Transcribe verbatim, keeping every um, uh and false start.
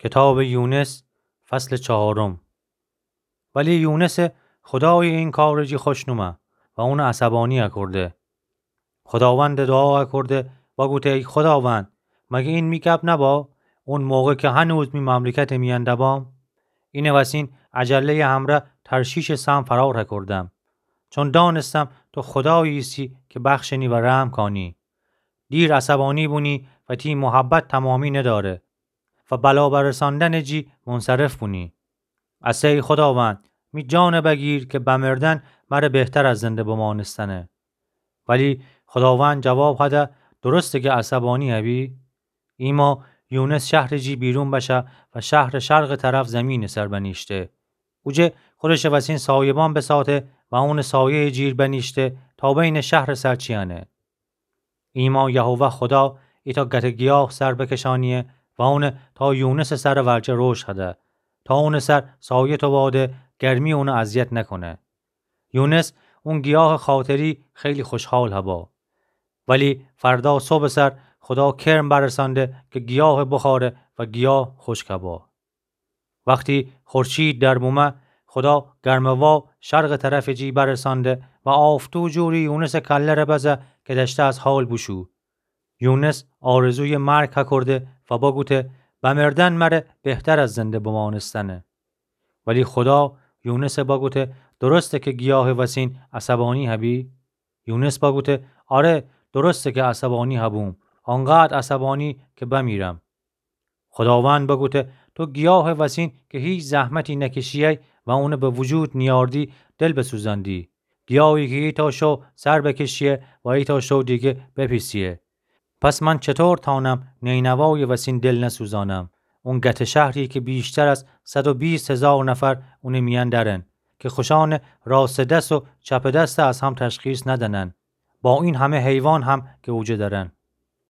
کتابٚ یونس، فصلٚ چهارم. ولی یونسٚ خودای این کارٚ جی خوش نومه و اونٚ عصبانی اکرده. خوداوندٚ دوعا اکرده و گوته: ای خوداوند، مگه این می گپ نبا، اون موقع که هنوز می مملکتٚ میأن دبام؟ اینٚ وسین عجله‌یٚ همرأ ترشیشٚ سهم فرار اکردم، چون دانستم تو خودایی ایسی که بخشنی و رحم کانی. دیر عصبانی بونی و تی محبت تمامی نداره و بلا برساندنٚ جی منصرف بونی. اسه ای خوداوند، می جانٚ بگیر که بمردن مره بهتر از زنده بمانستنه. ولی خوداوند جواب هده: درسته که عصبانی هبی؟ ایما یونس شهرٚ جی بیرون بشه و شهرٚ شرقٚ طرف زمینٚ سر بنیشته. اوجه خودشٚ وسین سایبان بساته و اونٚ سایه‌یٚ جیر بنیشته تا بینٚ شهرٚ سر چیأنه. ایما یهوه خودا ایتأ گته گیاه سر بکشانیه و اونه تا یونسٚ سرٚ ورجه روشن هده، تا اونٚ سر سایه توباده گرمی اونه اذیت نکنه. یونس اون گیاهٚ خاطری خیلی خوشحال هبا. ولی فردا صبحٚ سر خودا کرم برسانده که گیاه بخاره و گیاه خوشک هبا. وختی خورشید در بومه، خودا گرمه‌وا شرقٚ طرفٚ جی برسانده و آفتو جوری یونسٚ کله‌ره بزه که دشته از حال بوشو. یونس آرزویٚ مرگ هکرده و بگوته: بمردن مره بهتر از زنده بمانستنه. ولی خودا یونس بگوته: درسته که گیاهٚ وسین عصبانی هبی؟ یونس بگوته: آره، درسته که عصبانی هبوم، آنقدر عصبانی که بمیرم. خوداوند بگوته: تو گیاهٚ وسین که هیچ زحمتی نکشیی و اونه به وجود نیاردی، دل بسوزاندی. گیاهی که ایتأ شو سر بکشیه و ایتأ شو دیگه بپیسیه. پس من چطور تانم نینوایٚ وسین دل نسوزانم؟ اون گته شهری که بیشتر از صد و بیست هزار نفر اونٚ میأن درن، که خوشانٚ راستٚ دست و چپٚ دست از هم تشخیص ندنن، با این همه حیوان هم که اوجه درن.